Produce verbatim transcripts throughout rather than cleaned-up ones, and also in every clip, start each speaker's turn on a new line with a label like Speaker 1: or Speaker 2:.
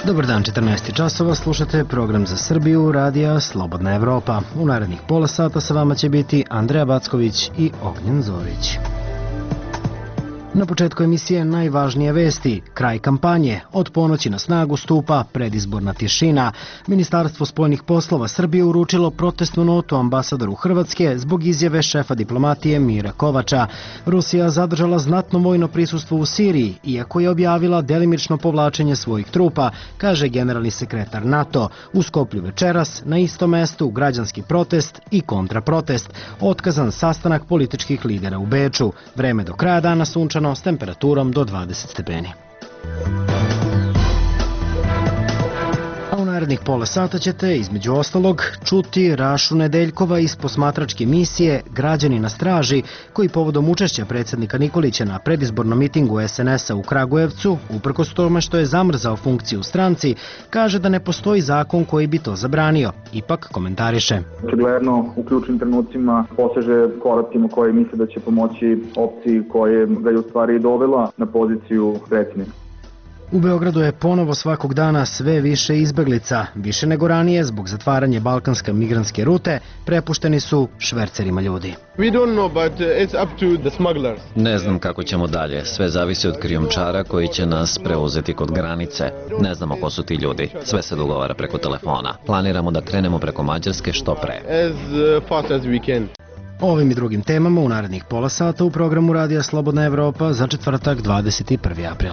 Speaker 1: Dobar dan, četrnaest časova, slušate program za Srbiju, radija Slobodna Evropa. U narednih pola sata sa vama će biti Andreja Backović i Ognjen Zorić. Na početku emisije najvažnije vesti. Kraj kampanje. Od ponoći na snagu stupa predizborna tišina. Ministarstvo spoljnih poslova Srbije uručilo protestnu notu ambasadoru Hrvatske zbog izjave šefa diplomatije Mira Kovača. Rusija zadržala znatno vojno prisustvo u Siriji, iako je objavila delimično povlačenje svojih trupa, kaže generalni sekretar NATO. U Skoplju večeras, na istom mestu, građanski protest i kontraprotest. Otkazan sastanak političkih lidera u Beču. Vreme do kraja dana sunčano s temperaturom do dvadeset stepeni. A u narednih pola sata ćete, između ostalog, čuti Rašu Nedeljkova iz posmatračke misije Građani na straži, koji povodom učešća predsjednika Nikolića na predizbornom mitingu es en es a u Kragujevcu, uprkos tome što je zamrzao funkciju u stranci, kaže da ne postoji zakon koji bi to zabranio. Ipak komentariše.
Speaker 2: Očigledno u ključnim trenucima poseže koracima koji misle da će pomoći opciji koje ga je u stvari dovela na poziciju predsjednika.
Speaker 1: U Beogradu je ponovo svakog dana sve više izbeglica. Više nego ranije, zbog zatvaranja balkanske migrantske rute, prepušteni su švercerima ljudi.
Speaker 3: Ne znam kako ćemo dalje. Sve zavisi od krijumčara koji će nas preuzeti kod granice. Ne znamo ko su ti ljudi. Sve se dogovara preko telefona. Planiramo da krenemo preko Mađarske što pre.
Speaker 1: O ovim i drugim temama u narednih pola sata u programu Radija Slobodna Evropa za četvrtak dvadeset prvi april.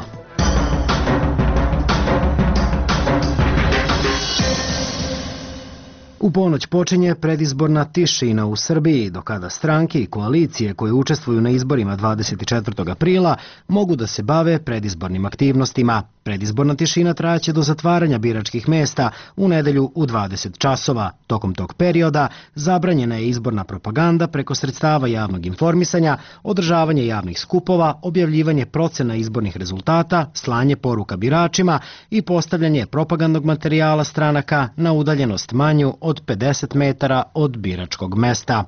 Speaker 1: U ponoć počinje predizborna tišina u Srbiji, do kada stranke i koalicije koje učestvuju na izborima dvadeset četvrtog aprila mogu da se bave predizbornim aktivnostima. Predizborna tišina trajaće do zatvaranja biračkih mesta u nedelju u dvadeset časova. Tokom tog perioda zabranjena je izborna propaganda preko sredstava javnog informisanja, održavanje javnih skupova, objavljivanje procena izbornih rezultata, slanje poruka biračima i postavljanje propagandnog materijala stranaka na udaljenost manju od pedeset metara od biračkog mesta.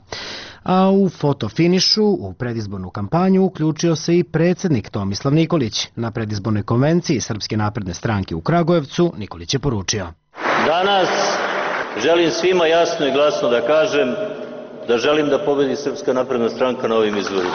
Speaker 1: A u fotofinišu u predizbornu kampanju uključio se i predsjednik Tomislav Nikolić. Na predizbornoj konvenciji Srpske napredne stranke u Kragujevcu Nikolić je poručio:
Speaker 4: Danas želim svima jasno i glasno da kažem da želim da pobedi Srpska napredna stranka na ovim izborima.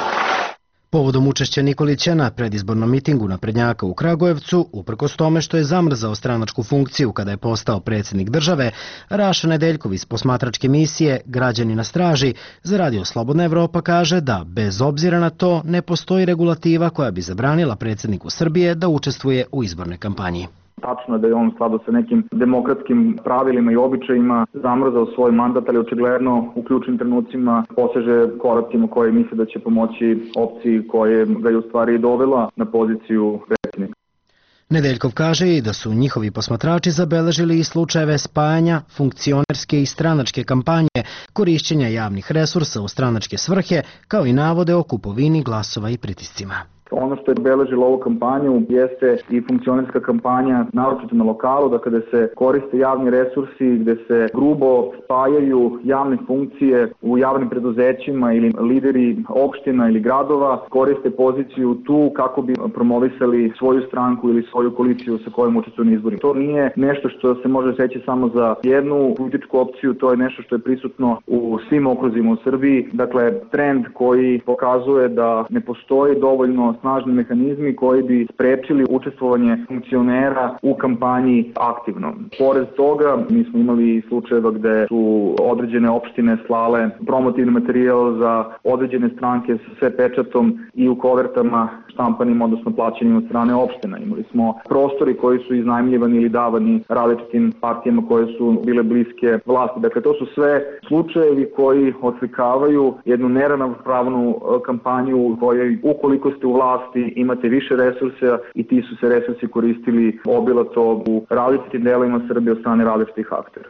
Speaker 1: Povodom učešća Nikolića na predizbornom mitingu naprednjaka u Kragujevcu, uprkos tome što je zamrzao stranačku funkciju kada je postao predsjednik države, Raša Nedeljkov iz posmatračke misije Građani na straži za Radio Slobodna Evropa kaže da, bez obzira na to, ne postoji regulativa koja bi zabranila predsjedniku Srbije da učestvuje u izbornoj kampanji.
Speaker 2: Tačno je da je on u skladu sa nekim demokratskim pravilima i običajima zamrzao svoj mandat, ali očigledno u ključnim trenucima poseže koracima koji misle da će pomoći opciji koje ga je u stvari dovela na poziciju predsjednika.
Speaker 1: Nedeljkov kaže i da su njihovi posmatrači zabeležili i slučajeve spajanja funkcionerske i stranačke kampanje, korišćenja javnih resursa u stranačke svrhe, kao i navode o kupovini glasova i pritiscima.
Speaker 2: Ono što je obeležilo ovu kampanju jeste i funkcionerska kampanja, naročito na lokalu, da kada se koriste javni resursi, gde se grubo spajaju javne funkcije u javnim preduzećima ili lideri opština ili gradova, koriste poziciju tu kako bi promovisali svoju stranku ili svoju koaliciju sa kojom učestvuju na izborima. To nije nešto što se može reći samo za jednu političku opciju, to je nešto što je prisutno u svim okruzima u Srbiji. Dakle, trend koji pokazuje da ne postoji dovoljno snažni mehanizmi koji bi sprečili učestvovanje funkcionera u kampanji aktivno. Pored toga, mi smo imali slučajeva gde su određene opštine slale promotivni materijal za određene stranke sa sve pečatom i u kovertama štampanim, odnosno plaćenim od strane opština. Imali smo prostori koji su iznajmljivani ili davani različitim partijama koje su bile bliske vlasti. Dakle, to su sve slučajevi koji oslikavaju jednu neravnopravnu kampanju u kojoj, ukoliko ste u vlasti, imate više resursa i ti su se resursi koristili obilato u različitim delovima Srbije od strane različitih aktera.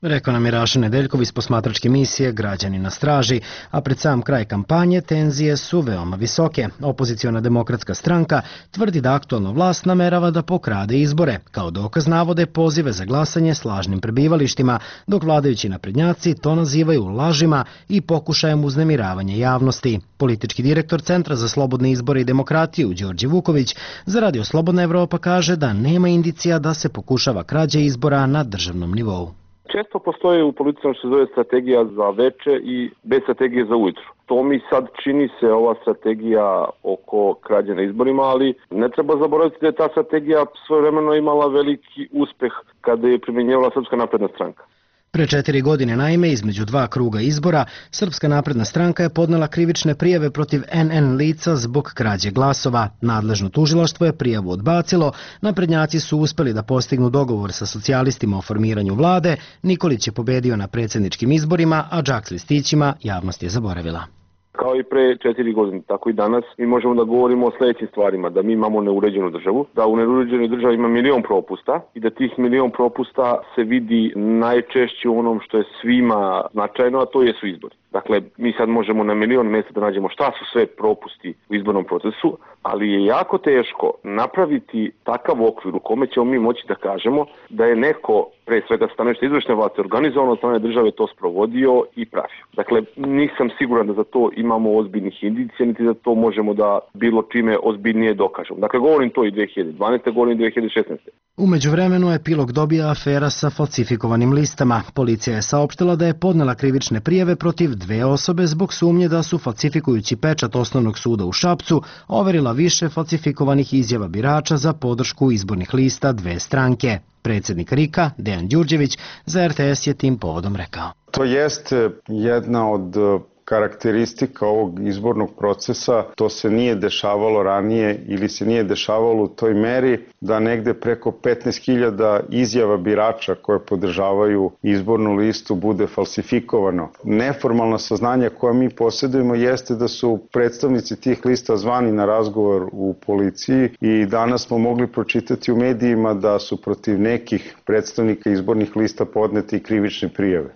Speaker 1: Rekao nam je Raša Nedeljkov iz posmatračke misije Građani na straži, a pred sam kraj kampanje tenzije su veoma visoke. Opoziciona demokratska stranka tvrdi da aktualna vlast namerava da pokrade izbore. Kao dokaz navode pozive za glasanje s lažnim prebivalištima, dok vladajući naprednjaci to nazivaju lažima i pokušajem uznemiravanja javnosti. Politički direktor Centra za slobodne izbore i demokratiju Đorđe Vuković za Radio Slobodna Evropa kaže da nema indicija da se pokušava krađa izbora na državnom nivou.
Speaker 5: Često postoji u politici što se zove strategija za veče i bez strategije za ujutru. To mi sad čini se ova strategija oko krađe na izborima, ali ne treba zaboraviti da je ta strategija svojevremeno imala veliki uspeh kada je primjenjivala Srpska napredna stranka.
Speaker 1: Pre četiri godine, naime, između dva kruga izbora, Srpska napredna stranka je podnela krivične prijave protiv en en lica zbog krađe glasova. Nadležno tužilaštvo je prijavu odbacilo, naprednjaci su uspeli da postignu dogovor sa socijalistima o formiranju vlade, Nikolić je pobedio na predsjedničkim izborima, a džak s listićima javnost je zaboravila.
Speaker 5: Kao i pre četiri godine, tako i danas, mi možemo da govorimo o sljedećim stvarima, da mi imamo neuređenu državu, da u neuređenoj državi ima milion propusta i da tih milion propusta se vidi najčešće u onom što je svima značajno, a to jesu izbori. Dakle, mi sad možemo na milion mjesta da nađemo šta su sve propusti u izbornom procesu, ali je jako teško napraviti takav okvir u kome ćemo mi moći da kažemo da je neko, pre svega stanovište izvršne vlasti, organizovano od strane države to sprovodio i pravio. Dakle, nisam siguran da za to imamo ozbiljnih indicija, niti da to možemo da bilo čime ozbiljnije dokažemo. Dakle, govorim to i dve hiljade dvanaeste. govorim i dve hiljade šesnaeste.
Speaker 1: Umeđu vremenu epilog dobija afera sa falsifikovanim listama. Policija je saopštila da je podnela krivične prijave protiv dve osobe zbog sumnje da su falsifikujući pečat Osnovnog suda u Šapcu overila više falsifikovanih izjava birača za podršku izbornih lista dve stranke. Predsjednik RIK-a, Dejan Đurđević, za er te es je tim povodom rekao.
Speaker 6: To jeste jedna od karakteristika ovog izbornog procesa, to se nije dešavalo ranije ili se nije dešavalo u toj meri da negde preko petnaest hiljada izjava birača koje podržavaju izbornu listu bude falsifikovano. Neformalna saznanja koja mi posjedujemo jeste da su predstavnici tih lista zvani na razgovor u policiji i danas smo mogli pročitati u medijima da su protiv nekih predstavnika izbornih lista podneti krivične prijave.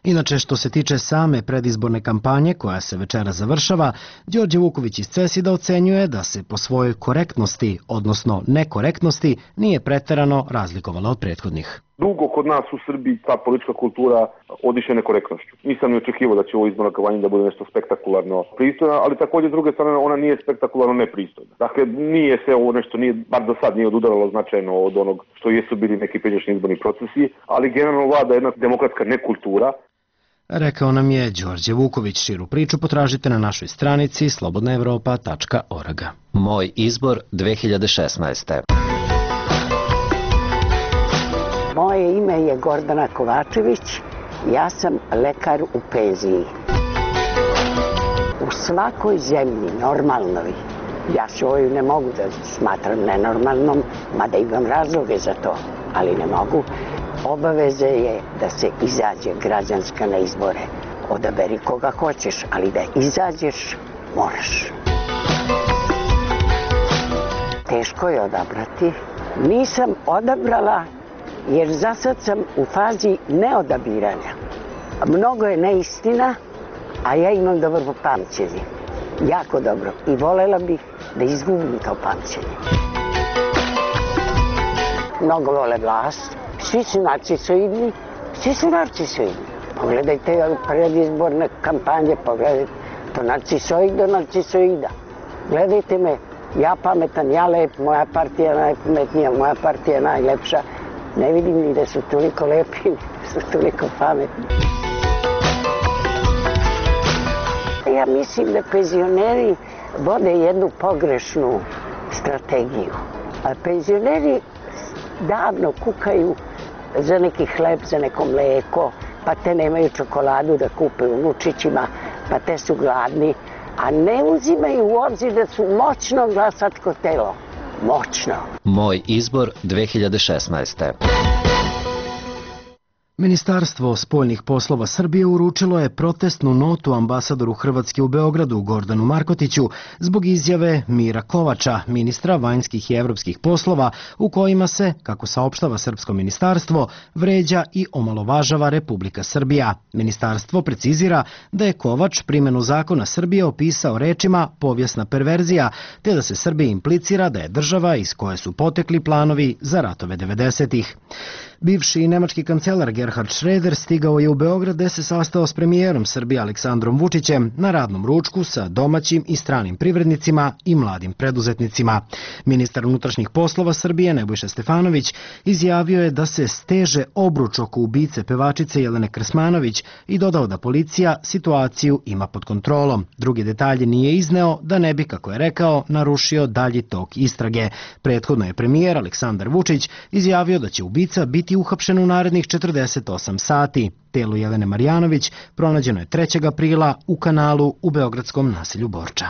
Speaker 1: Inače, što se tiče same predizborne kampanje koja se večera završava, Đorđe Vuković iz CESID-a ocenjuje da se po svojoj korektnosti, odnosno nekorektnosti, nije preterano razlikovala od prethodnih.
Speaker 5: Dugo kod nas u Srbiji ta politička kultura odiše nekorektnošću. Nisam ni očekivao da će ovo izborna kampanja da bude nešto spektakularno pristojno, ali također s druge strane ona nije spektakularno nepristojna. Dakle, nije se ovo nešto, nije, bar do sad nije odudaralo značajno od onog što jesu bili neki pređašnji izborni procesi, ali generalno vlada jedna demokratska nekultura.
Speaker 1: Rekao nam je Đorđe Vuković. Širu priču potražite na našoj stranici slobodna evropa tačka org.
Speaker 3: Moj izbor dve hiljade šesnaeste.
Speaker 7: Moje ime je Gordana Kovačević, ja sam lekar u penziji. U svakoj zemlji normalnoj, ja svoju ne mogu da smatram nenormalnom, mada imam razloge za to, ali ne mogu. Obaveze je da se izađe građanska na izbore. Odaberi koga hoćeš, ali da izađeš moraš. Teško je odabrati. Nisam odabrala jer za sad sam u fazi neodabiranja. Mnogo je neistina, a ja imam dobro pamćenje. Jako dobro. I volela bih da izgubim to pamćenje. Mnogo vole vlast. Svi su narcisoidni, svi su narcisoidni. Pogledajte predizborne kampanje, pogledajte to narcisoid do narcisoida. Gledajte me, ja pametan, ja lep, moja partija najpametnija, moja partija najlepša. Ne vidim ni da su toliko lepi, da su toliko pametni. Ja mislim da penzioneri vode jednu pogrešnu strategiju. A penzioneri davno kukaju za neki hleb, za neko mleko, pa te nemaju čokoladu da kupe unučićima, pa te su gladni, a ne uzimaju u obzir da su moćno glasačko telo. Moćno.
Speaker 3: Moj izbor dve hiljade šesnaeste.
Speaker 1: Ministarstvo spoljnih poslova Srbije uručilo je protestnu notu ambasadoru Hrvatske u Beogradu Gordanu Markotiću zbog izjave Mira Kovača, ministra vanjskih i evropskih poslova, u kojima se, kako saopštava Srpsko ministarstvo, vređa i omalovažava Republika Srbija. Ministarstvo precizira da je Kovač primjenu zakona Srbije opisao rečima povijesna perverzija, te da se Srbiji implicira da je država iz koje su potekli planovi za ratove devedesetih. Bivši nemački kancelar Gerhard Schröder stigao je u Beograd gde se sastao s premijerom Srbije Aleksandrom Vučićem na radnom ručku sa domaćim i stranim privrednicima i mladim preduzetnicima. Ministar unutrašnjih poslova Srbije Nebojša Stefanović izjavio je da se steže obruč oko ubice pevačice Jelene Krsmanović i dodao da policija situaciju ima pod kontrolom. Drugi detalje nije izneo da ne bi, kako je rekao, narušio dalji tok istrage. Prethodno je premijer Aleksandar Vučić izjavio da će ubica biti uhapšen u narednih četrdeset osam sati. Telo Jelene Marjanović pronađeno je trećeg aprila u kanalu u beogradskom naselju Borča.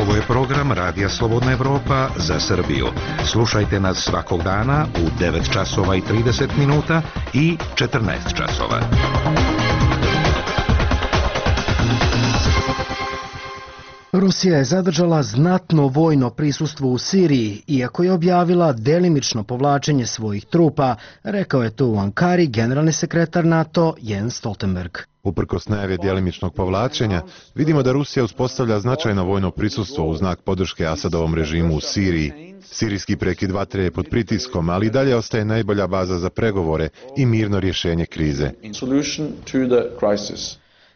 Speaker 8: Ovo je program Radija Slobodna Evropa za Srbiju. Slušajte nas svakog dana u devet časova i trideset minuta i četrnaest časova.
Speaker 1: Rusija je zadržala znatno vojno prisustvo u Siriji, iako je objavila delimično povlačenje svojih trupa, rekao je to u Ankari generalni sekretar NATO Jens Stoltenberg.
Speaker 9: Uprkos najave djelimičnog povlačenja, vidimo da Rusija uspostavlja značajno vojno prisustvo u znak podrške Asadovom režimu u Siriji. Sirijski prekid vatre je pod pritiskom, ali i dalje ostaje najbolja baza za pregovore i mirno rješenje krize.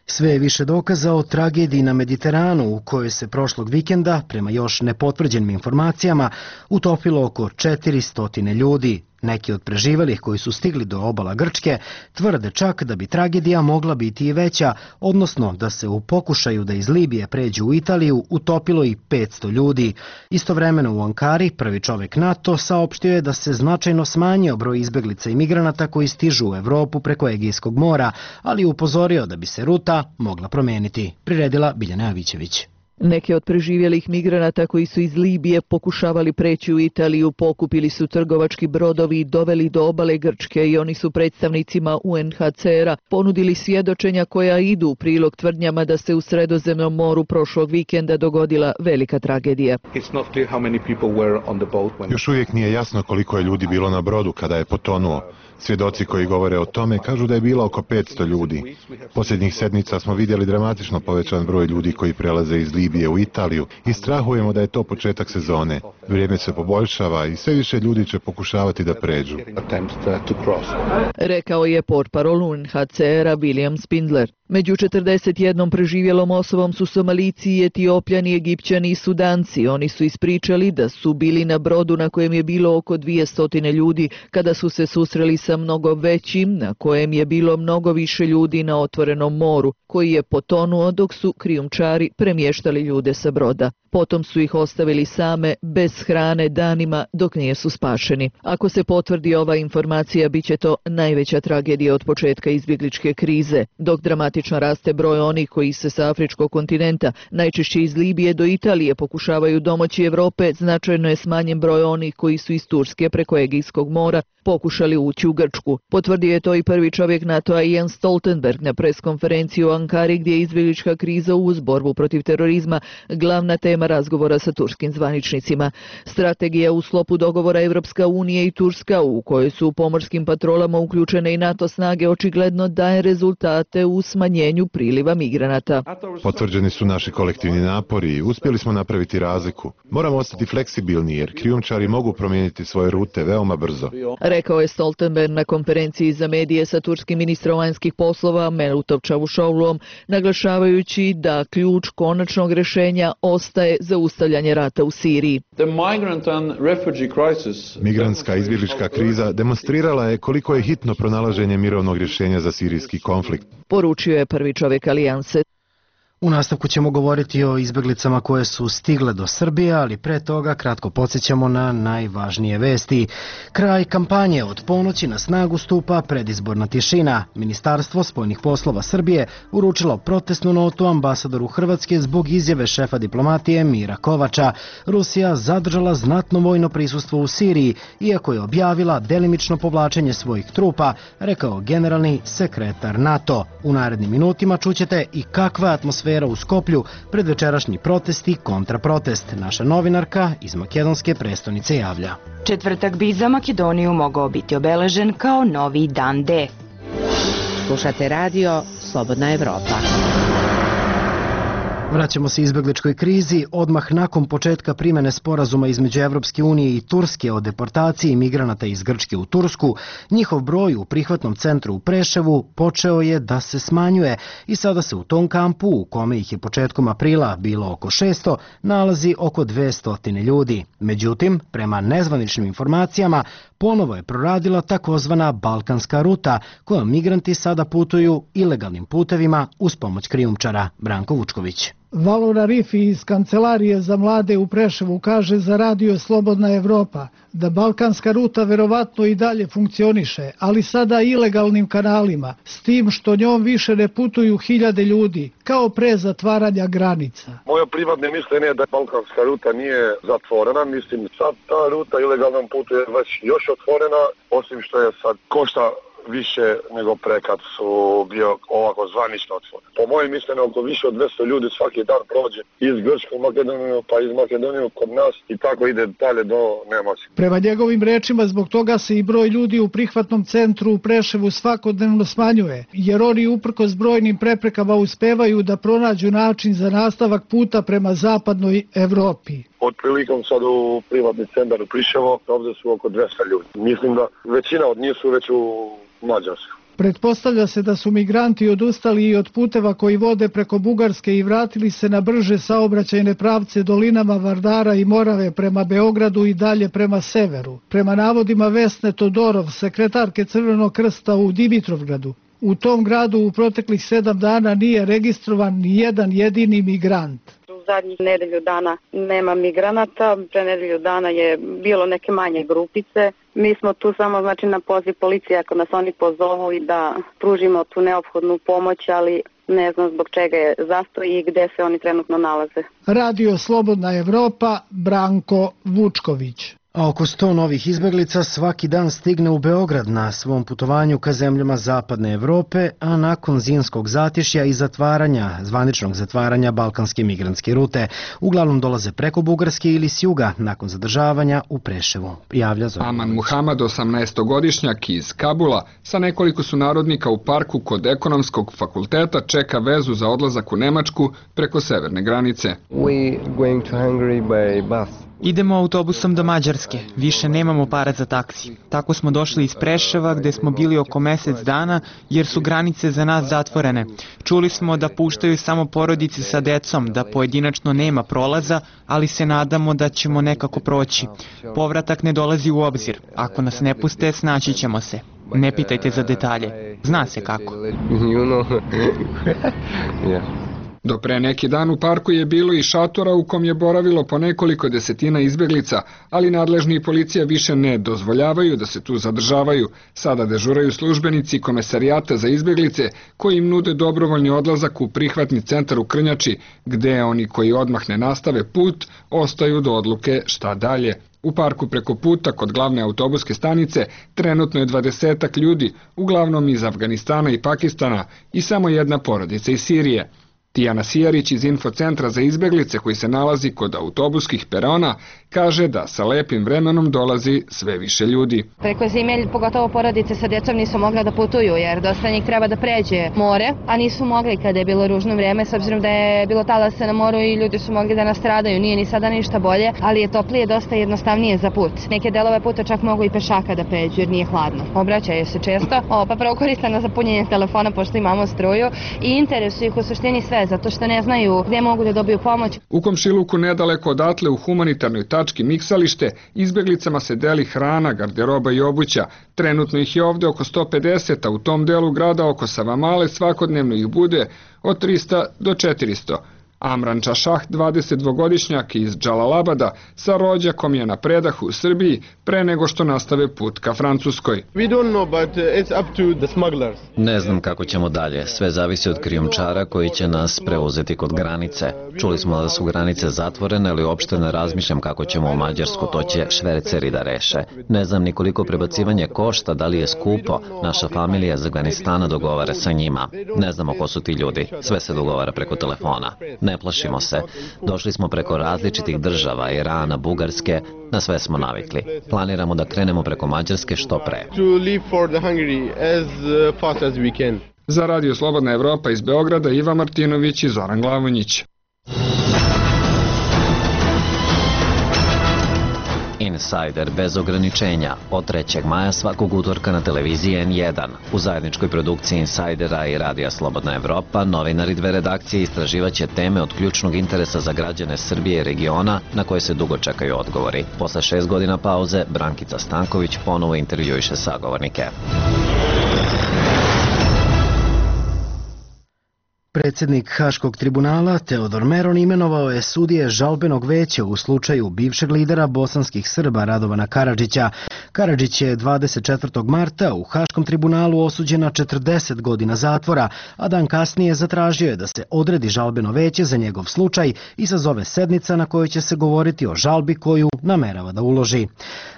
Speaker 1: Sve je više dokaza o tragediji na Mediteranu u kojoj se prošlog vikenda, prema još nepotvrđenim informacijama, utopilo oko četiristo ljudi. Neki od preživelih koji su stigli do obala Grčke tvrde čak da bi tragedija mogla biti i veća, odnosno da se u pokušaju da iz Libije pređu u Italiju utopilo i petsto ljudi. Istovremeno u Ankari prvi čovjek NATO saopštio je da se značajno smanjio broj izbeglica i migranata koji stižu u Evropu preko Egejskog mora, ali upozorio da bi se ruta mogla promeniti. Priredila Biljana Avićević.
Speaker 10: Neki od preživjelih migranata koji su iz Libije pokušavali preći u Italiju pokupili su trgovački brodovi i doveli do obale Grčke i oni su predstavnicima U N H C R-a ponudili svjedočenja koja idu u prilog tvrdnjama da se u Sredozemnom moru prošlog vikenda dogodila velika tragedija.
Speaker 9: Još uvijek nije jasno koliko je ljudi bilo na brodu kada je potonuo. Svjedoci koji govore o tome kažu da je bilo oko petsto ljudi. Posljednjih sedmica smo vidjeli dramatično povećan broj ljudi koji prelaze iz Libije u Italiju i strahujemo da je to početak sezone. Vrijeme se poboljšava i sve više ljudi će pokušavati da pređu.
Speaker 10: Rekao je portparol U N H C R-a William Spindler. Među četrdeset jednom preživjelom osobom su Somalici, Etiopljani, Egipćani i Sudanci. Oni su ispričali da su bili na brodu na kojem je bilo oko dvjesto ljudi kada su se susreli sa mnogo većim, na kojem je bilo mnogo više ljudi na otvorenom moru, koji je potonuo dok su krijumčari premještali ljude sa broda. Potom su ih ostavili same, bez hrane, danima dok nisu spašeni. Ako se potvrdi ova informacija, bit će to najveća tragedija od početka izbjegličke krize. Dok dramatično raste broj onih koji se sa afričkog kontinenta, najčešće iz Libije do Italije, pokušavaju domoći Evrope, značajno je smanjen broj onih koji su iz Turske preko Egejskog mora pokušali ući u Grčku. Potvrdio je to i prvi čovjek NATO-a Jens Stoltenberg na preskonferenciji u Ankari, gdje je izbjeglička kriza uz borbu protiv terorizma glavna tema razgovora sa turskim zvaničnicima. Strategija u sklopu dogovora Evropska unija i Turska, u kojoj su u pomorskim patrolama uključene i NATO snage, očigledno daje rezultate u smanjenju priliva migranata.
Speaker 9: Potvrđeni su naši kolektivni napori i uspjeli smo napraviti razliku. Moramo ostati fleksibilni jer krijumčari mogu promijeniti svoje rute veoma brzo.
Speaker 10: Rekao je Stoltenberg na konferenciji za medije sa turskim ministrom vanjskih poslova Mevlutom Čavuşoğluom, naglašavajući da ključ konačnog rješenja ostaje zaustavljanje rata u Siriji.
Speaker 9: Migrantska izbjeglička kriza demonstrirala je koliko je hitno pronalaženje mirovnog rješenja za sirijski konflikt.
Speaker 10: Poručio je prvi čovjek alijanse.
Speaker 1: U nastavku ćemo govoriti o izbeglicama koje su stigle do Srbije, ali pre toga kratko podsjećamo na najvažnije vesti. Kraj kampanje, od ponoći na snagu stupa predizborna tišina. Ministarstvo spoljnih poslova Srbije uručilo protestnu notu ambasadoru Hrvatske zbog izjave šefa diplomatije Mira Kovača. Rusija zadržala znatno vojno prisustvo u Siriji, iako je objavila delimično povlačenje svojih trupa, rekao generalni sekretar NATO. U narednim minutima čućete i kakva atmosfera u Skoplju pred večerašnji protest i kontraprotest. Naša novinarka iz makedonske prestonice javlja.
Speaker 11: Četvrtak bi za Makedoniju mogao biti obeležen kao novi dan D.
Speaker 12: Slušate radio Slobodna Evropa.
Speaker 1: Vraćamo se izbegličkoj krizi. Odmah nakon početka primene sporazuma između Evropske unije i Turske o deportaciji migranata iz Grčke u Tursku, njihov broj u prihvatnom centru u Preševu počeo je da se smanjuje i sada se u tom kampu, u kome ih je početkom aprila bilo oko šesto, nalazi oko dvesta ljudi. Međutim, prema nezvaničnim informacijama, ponovo je proradila takozvana balkanska ruta, kojom migranti sada putuju ilegalnim putevima uz pomoć krijumčara. Branko Vučković.
Speaker 13: Valora Rifi iz Kancelarije za mlade u Preševu kaže za radio Slobodna Evropa da balkanska ruta verovatno i dalje funkcioniše, ali sada ilegalnim kanalima, s tim što njom više ne putuju hiljade ljudi, kao pre zatvaranja granica.
Speaker 14: Moje privatne mišljenje je da balkanska ruta nije zatvorena, mislim sad ta ruta ilegalnom putu je već još otvorena, osim što je sad košta više nego pre kad su bio ovako zvanično otvoren. Po mojem mišljenju oko više od dvesta ljudi svaki dan prođe iz Grčke u Makedoniju pa iz Makedonije kod nas i tako ide dalje do Nemačke.
Speaker 13: Prema njegovim rečima zbog toga se i broj ljudi u prihvatnom centru u Preševu svakodnevno smanjuje, jer oni uprkos brojnim preprekama uspevaju da pronađu način za nastavak puta prema zapadnoj Evropi.
Speaker 14: Otprilikom sad u privatni centar u Priševo, ovdje su oko dvesta ljudi. Mislim da većina od njih su već u Mađarsku.
Speaker 13: Pretpostavlja se da su migranti odustali i od puteva koji vode preko Bugarske i vratili se na brže saobraćajne pravce dolinama Vardara i Morave prema Beogradu i dalje prema severu. Prema navodima Vesne Todorov, sekretarke Crvenog krsta u Dimitrovgradu, u tom gradu u proteklih sedam dana nije registrovan ni jedan jedini migrant.
Speaker 15: U zadnjih nedelju dana nema migranata, pre nedelju dana je bilo neke manje grupice. Mi smo tu samo znači na poziv policije ako nas oni pozovu i da pružimo tu neophodnu pomoć, ali ne znam zbog čega je zastoj i gde se oni trenutno nalaze.
Speaker 13: Radio Slobodna Evropa, Branko Vučković.
Speaker 1: A oko sto novih izbeglica svaki dan stigne u Beograd na svom putovanju ka zemljama Zapadne Evrope, a nakon zimskog zatišja i zatvaranja, zvaničnog zatvaranja balkanske migrantske rute, uglavnom dolaze preko Bugarske ili s juga nakon zadržavanja u Preševu. Javlja Zoran.
Speaker 16: Aman Muhamad, osamnaestogodišnjak iz Kabula, sa nekoliko sunarodnika u parku kod ekonomskog fakulteta čeka vezu za odlazak u Nemačku preko severne granice.
Speaker 17: We going to Hungary by bus.
Speaker 18: Idemo autobusom do Mađarske, više nemamo para za taksi. Tako smo došli iz Preševa gde smo bili oko mesec dana jer su granice za nas zatvorene. Čuli smo da puštaju samo porodice sa decom, da pojedinačno nema prolaza, ali se nadamo da ćemo nekako proći. Povratak ne dolazi u obzir. Ako nas ne puste, snaći ćemo se. Ne pitajte za detalje. Zna se kako.
Speaker 16: Do pre neki dan u parku je bilo i šatora u kom je boravilo po nekoliko desetina izbeglica, ali nadležni i policija više ne dozvoljavaju da se tu zadržavaju. Sada dežuraju službenici Komesarijata za izbeglice koji im nude dobrovoljni odlazak u prihvatni centar u Krnjači, gde oni koji odmah ne nastave put ostaju do odluke šta dalje. U parku preko puta kod glavne autobuske stanice trenutno je dvadesetak ljudi, uglavnom iz Afganistana i Pakistana i samo jedna porodica iz Sirije. Tijana Sijarić iz Infocentra za izbeglice koji se nalazi kod autobuskih perona kaže da sa lepim vremenom dolazi sve više ljudi.
Speaker 19: Preko zime, pogotovo porodice sa djecom nisu mogle da putuju jer dosta njih treba da pređe more, a nisu mogli kada je bilo ružno vreme s obzirom da je bilo talasa na moru i ljudi su mogli da nastradaju. Nije ni sada ništa bolje, ali je toplije dosta jednostavnije za put. Neke delove puta čak mogu i pešaka da pređu jer nije hladno. Obraćaju se često, o, pa prvo koriste na zapunjenje telefona pošto imamo struju i interesuju ih u suštini sve boje zato što ne znaju gde mogu da dobiju pomoć.
Speaker 16: U komšiluku nedaleko odatle u humanitarnoj tački Miksalište izbeglicama se deli hrana, garderoba i obuća. Trenutno ih je ovde oko sto pedeset, a u tom delu grada oko Savamale svakodnevno ih bude od trista do četiristo. Amran Čašah, dvadesetdvogodišnjak iz Džalalabada, sa rođakom je na predahu u Srbiji pre nego što nastave put ka Francuskoj.
Speaker 3: Ne znam kako ćemo dalje, sve zavisi od krijumčara koji će nas preuzeti kod granice. Čuli smo da su granice zatvorene, ali uopšte ne razmišljam kako ćemo u Mađarsku, to će šverceri da reše. Ne znam ni koliko prebacivanje košta, da li je skupo, naša familija iz Afganistana dogovara sa njima. Ne znamo ko su ti ljudi, sve se dogovara preko telefona. Ne plašimo se. Došli smo preko različitih država, Irana, Bugarske, na sve smo navikli. Planiramo da krenemo preko Mađarske što pre.
Speaker 16: Za Radio Slobodna Evropa iz Beograda, Iva Martinović i Zoran Glavonjić.
Speaker 3: Insider bez ograničenja od trećeg maja svakog utorka na televiziji en jedan. U zajedničkoj produkciji Insidera i Radija Slobodna Evropa novinari dve redakcije istraživaće teme od ključnog interesa za građane Srbije i regiona na koje se dugo čekaju odgovori. Posle šest godina pauze, Brankica Stanković ponovo intervjuiše sagovornike.
Speaker 1: Predsjednik Haškog tribunala Teodor Meron imenovao je sudije žalbenog veća u slučaju bivšeg lidera bosanskih Srba Radovana Karadžića. Karadžić je dvadeset četvrtog marta u Haškom tribunalu osuđen na četrdeset godina zatvora, a dan kasnije zatražio je da se odredi žalbeno veće za njegov slučaj i sazove sednica na kojoj će se govoriti o žalbi koju namerava da uloži.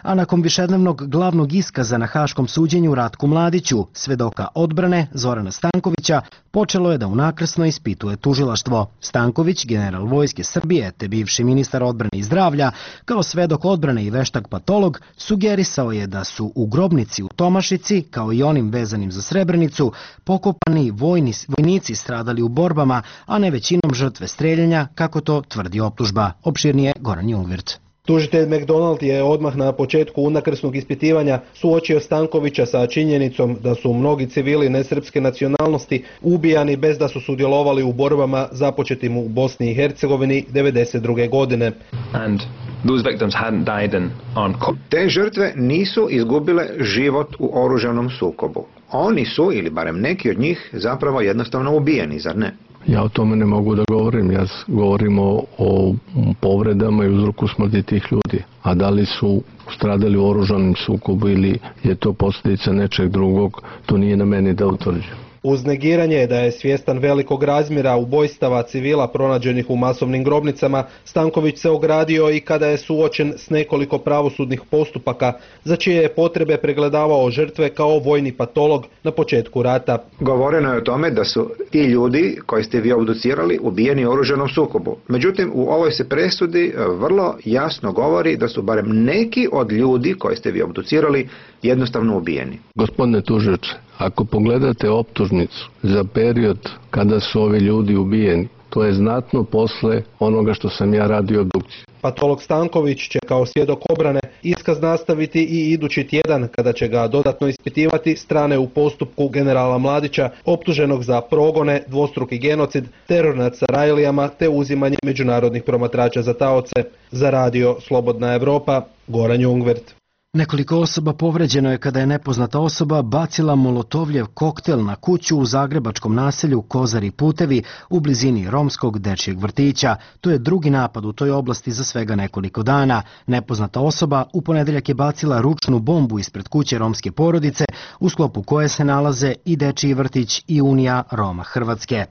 Speaker 1: A nakon višednevnog glavnog iskaza na Haškom suđenju Ratku Mladiću, svedoka odbrane Zorana Stankovića, počelo je da unakrsno ispituje tužilaštvo. Stanković, general vojske Srbije te bivši ministar odbrane i zdravlja, kao svedok odbrane i veštak patolog, sugerisao je da su u grobnici u Tomašici, kao i onim vezanim za Srebrenicu, pokopani vojni, vojnici stradali u borbama, a ne većinom žrtve streljanja, kako to tvrdi optužba. Opširnije Goran Jungwirth.
Speaker 20: Tužitelj McDonald je odmah na početku unakrsnog ispitivanja suočio Stankovića sa činjenicom da su mnogi civili nesrpske nacionalnosti ubijani bez da su sudjelovali u borbama započetim u Bosni i Hercegovini devedeset druge godine.
Speaker 21: And those victims hadn't died in armed conflict. Te žrtve nisu izgubile život u oružanom sukobu. Oni su, ili barem neki od njih, zapravo jednostavno ubijeni, zar ne?
Speaker 22: Ja o tome ne mogu da govorim, ja govorim o, o povredama i uzroku smrti tih ljudi. A da li su stradali u oružanom sukobu ili je to posljedica nečeg drugog, to nije na meni da utvrđujem.
Speaker 20: Uz negiranje da je svjestan velikog razmjera ubojstava civila pronađenih u masovnim grobnicama, Stanković se ogradio i kada je suočen s nekoliko pravosudnih postupaka, za čije je potrebe pregledavao žrtve kao vojni patolog na početku rata.
Speaker 21: Govoreno je o tome da su ti ljudi koji ste vi obducirali ubijeni u oružanom sukobu. Međutim, u ovoj se presudi vrlo jasno govori da su barem neki od ljudi koji ste vi obducirali jednostavno ubijeni.
Speaker 22: Gospodine tužioče, ako pogledate optužnicu za period kada su ovi ljudi ubijeni, to je znatno posle onoga što sam ja radio obdukciju.
Speaker 20: Patolog Stanković će kao svjedok obrane iskaz nastaviti i idući tjedan kada će ga dodatno ispitivati strane u postupku generala Mladića optuženog za progone, dvostruki genocid, teror nad Sarajlijama te uzimanje međunarodnih promatrača za taoce. Za Radio Slobodna Evropa, Goran Jungwirth.
Speaker 1: Nekoliko osoba povređeno je kada je nepoznata osoba bacila molotovljev koktel na kuću u zagrebačkom naselju Kozari Putevi u blizini romskog dečijeg vrtića. To je drugi napad u toj oblasti za svega nekoliko dana. Nepoznata osoba u ponedeljak je bacila ručnu bombu ispred kuće romske porodice u sklopu koje se nalaze i dečiji vrtić i Unija Roma Hrvatske.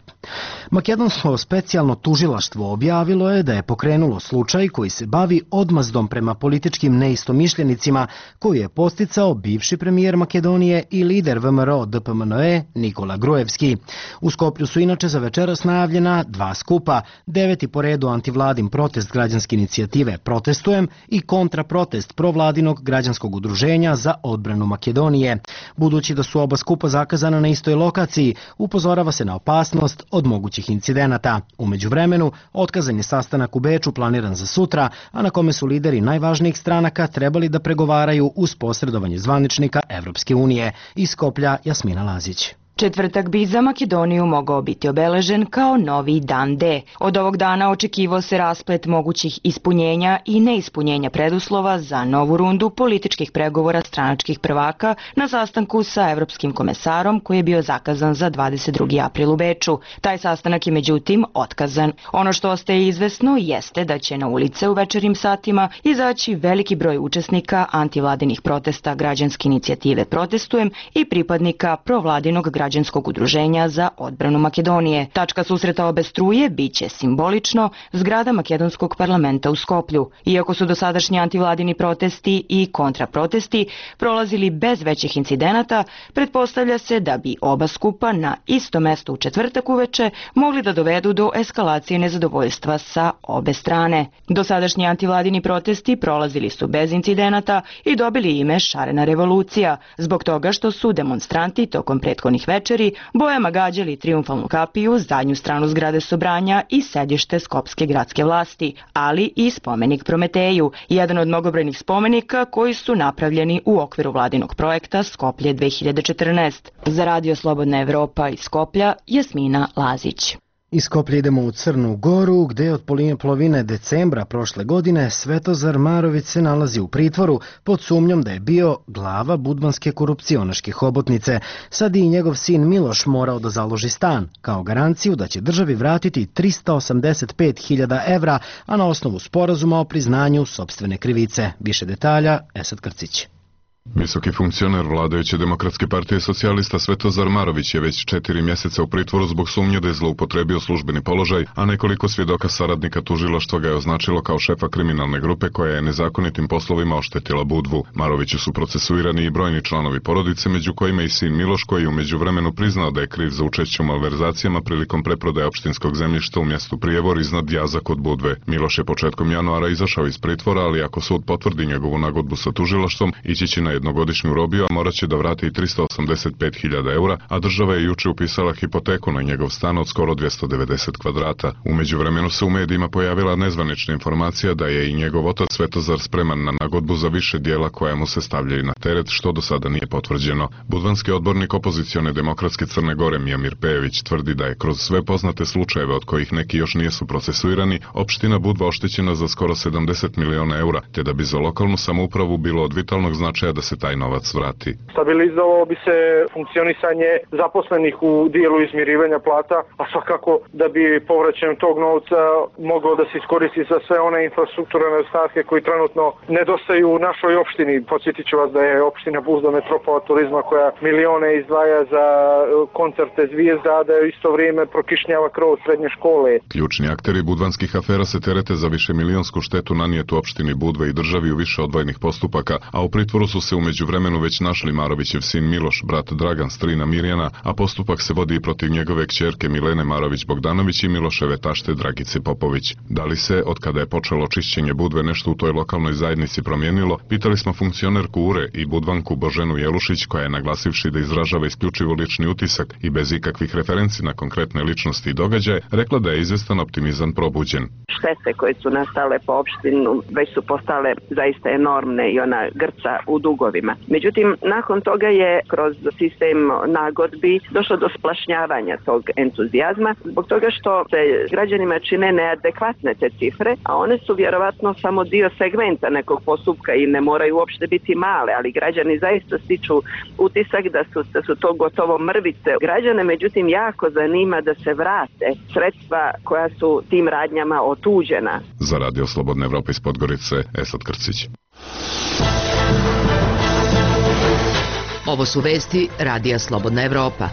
Speaker 1: Makedonsko specijalno tužilaštvo objavilo je da je pokrenulo slučaj koji se bavi odmazdom prema političkim neistomišljenicima koju je posticao bivši premijer Makedonije i lider V M R O D P M N E Nikola Gruevski. U Skoplju su inače za večeras najavljena dva skupa, deveti po redu antivladin protest građanske inicijative Protestujem i kontraprotest provladinog građanskog udruženja za odbranu Makedonije. Budući da su oba skupa zakazana na istoj lokaciji, upozorava se na opasnost od mogućih incidenata. U međuvremenu, otkazan je sastanak u Beču planiran za sutra, a na kome su lideri najvažnijih stranaka trebali da pregovaraju uz posredovanje zvaničnika Evropske unije. Iz Skoplja Jasmina Lazić.
Speaker 11: Četvrtak bi za Makedoniju mogao biti obeležen kao novi dan D. Od ovog dana očekivao se rasplet mogućih ispunjenja i neispunjenja preduslova za novu rundu političkih pregovora stranačkih prvaka na sastanku sa evropskim komesarom koji je bio zakazan za dvadeset drugi april u Beču. Taj sastanak je međutim otkazan. Ono što ostaje izvesno jeste da će na ulice u večernjim satima izaći veliki broj učesnika antivladinih protesta građanske inicijative Protestujem i pripadnika provladinog građanskog udruženja za odbranu Makedonije. Tačka susreta obe struje biće simbolično zgrada makedonskog parlamenta u Skoplju. Iako su dosadašnji antivladini protesti i kontraprotesti prolazili bez većih incidenata, pretpostavlja se da bi oba skupa na isto mesto u četvrtak uveče mogli da dovedu do eskalacije nezadovoljstva sa obe strane. Dosadašnji antivladini protesti prolazili su bez incidenata i dobili ime Šarena revolucija, zbog toga što su demonstranti tokom prethodnih večeri bojama gađali triumfalnu kapiju, zadnju stranu zgrade Sobranja i sedište skopske gradske vlasti, ali i spomenik Prometeju, jedan od mnogobrojnih spomenika koji su napravljeni u okviru vladinog projekta Skoplje dve hiljade četrnaest. Za Radio Slobodna Evropa iz Skoplja, Jasmina Lazić.
Speaker 1: Iz Skoplja idemo u Crnu Goru, gde od polovine decembra prošle godine Svetozar Marović se nalazi u pritvoru pod sumnjom da je bio glava budvanske korupcionaške hobotnice. Sad i njegov sin Miloš morao da založi stan, kao garanciju da će državi vratiti trista osamdeset pet hiljada evra, a na osnovu sporazuma o priznanju sopstvene krivice. Više detalja, Esad Krcić.
Speaker 2: Visoki funkcioner vladajuće Demokratske partije socijalista Svetozar Marović je već četiri mjeseca u pritvoru zbog sumnje da je zloupotrebio službeni položaj, a nekoliko svjedoka saradnika tužilaštva ga je označilo kao šefa kriminalne grupe koja je nezakonitim poslovima oštetila Budvu. Maroviću su procesuirani i brojni članovi porodice, među kojima i sin Miloš, koji je u međuvremenu priznao da je kriv za učešće u malverzacijama prilikom preprodaje opštinskog zemljišta u mjestu Prijevor iznad Jaza kod Budve. Miloš je početkom januara izašao iz pritvora, ali ako sud potvrdi njegovu nagodbu sa tužilaštvom, ići će na jednogodišnju robiju, a morat će da vrati trista osamdeset pet hiljada eura, a država je juče upisala hipoteku na njegov stan od skoro dvjesto devedeset kvadrata. U međuvremenu se u medijima pojavila nezvanična informacija da je i njegov otac Svetozar spreman na nagodbu za više dijela koja mu se stavljaju na teret, što do sada nije potvrđeno. Budvanski odbornik opozicione Demokratske Crne Gore Mijamir Pejević tvrdi da je kroz sve poznate slučajeve, od kojih neki još nijesu procesuirani, opština Budva oštećena za skoro sedamdeset miliona eura, te da bi za lokalnu samoupravu bilo od vitalnog značaja da se taj novac vrati.
Speaker 4: Stabilizovalo bi se funkcionisanje zaposlenih u dijelu izmirivanja plata, a svakako da bi povraćajem tog novca moglo da se iskoristi za sve one infrastrukturne stavke koji trenutno nedostaju u našoj opštini. Podsjetit ću vas da je opština Buzda metropola turizma koja milione izdvaja za koncerte zvijezda, a da je isto vrijeme prokišnjava krov srednje škole.
Speaker 2: Ključni akteri budvanskih afera se terete za više milionsku štetu nanijetu opštini Budva i državi u više odvojenih postupaka, a u pritvoru su se u međuvremenu već našli Marovićev sin Miloš, brat Dragan, strina Mirjana, a postupak se vodi i protiv njegove kćerke Milene Marović-Bogdanović i Miloševe tašte Dragice Popović. Da li se, od kada je počelo čišćenje Budve, nešto u toj lokalnoj zajednici promijenilo, pitali smo funkcionerku U R E i Budvanku Boženu Jelušić, koja je, naglasivši da izražava isključivo lični utisak i bez ikakvih referenci na konkretne ličnosti i događaje, rekla da je izvestan optimizam probuđen.
Speaker 23: Štete koje su nastale po opštinu već su postale zaista enormne i ona grca u dugovima. Međutim, nakon toga je kroz sistem nagodbi došlo do splašnjavanja tog entuzijazma, zbog toga što se građanima čine neadekvatne te cifre, a one su vjerovatno samo dio segmenta nekog postupka i ne moraju uopšte biti male, ali građani zaista stiču utisak da su, da su to gotovo mrvice. Građane, međutim, jako zanima da se vrate sredstva koja su tim radnjama otuđena.
Speaker 2: Za Radio Slobodna Evropa iz Podgorice, Esad Krcić.
Speaker 12: Ovo su vesti Radija Slobodna Evropa.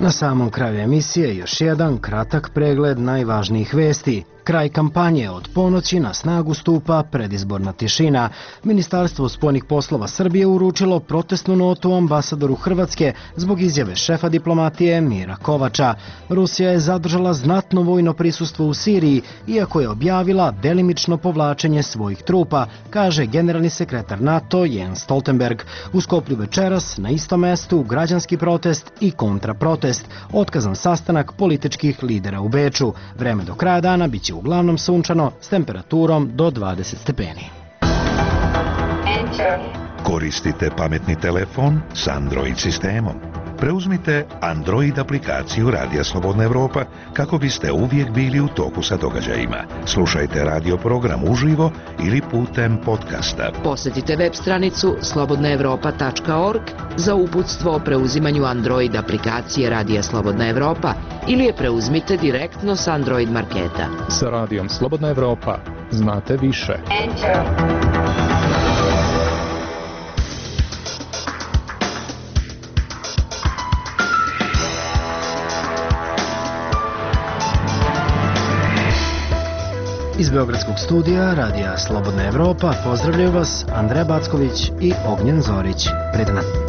Speaker 1: Na samom kraju emisije još jedan kratak pregled najvažnijih vesti. Kraj kampanje, od ponoći na snagu stupa predizborna tišina. Ministarstvo spoljnih poslova Srbije uručilo protestnu notu ambasadoru Hrvatske zbog izjave šefa diplomatije Mira Kovača. Rusija je zadržala znatno vojno prisustvo u Siriji, iako je objavila delimično povlačenje svojih trupa, kaže generalni sekretar NATO Jens Stoltenberg. U Skoplju večeras na istom mestu građanski protest i kontraprotest. Otkazan sastanak političkih lidera u Beču. Vreme do kraja dana biće uglavnom sunčano s temperaturom do dvadeset stepeni.
Speaker 24: Enter.
Speaker 8: Koristite pametni telefon s Android sistemom. Preuzmite Android aplikaciju Radija Slobodna Evropa kako biste uvijek bili u toku sa događajima. Slušajte radio program uživo ili putem podcasta.
Speaker 12: Posjetite web stranicu slobodna evropa tačka org za uputstvo o preuzimanju Android aplikacije Radija Slobodna Evropa ili je preuzmite direktno s Android marketa.
Speaker 5: Sa Radijom Slobodna Evropa znate više.
Speaker 1: Iz Beogradskog studija Radija Slobodna Evropa pozdravljaju vas Andreja Backović i Ognjen Zorić. Pred nas.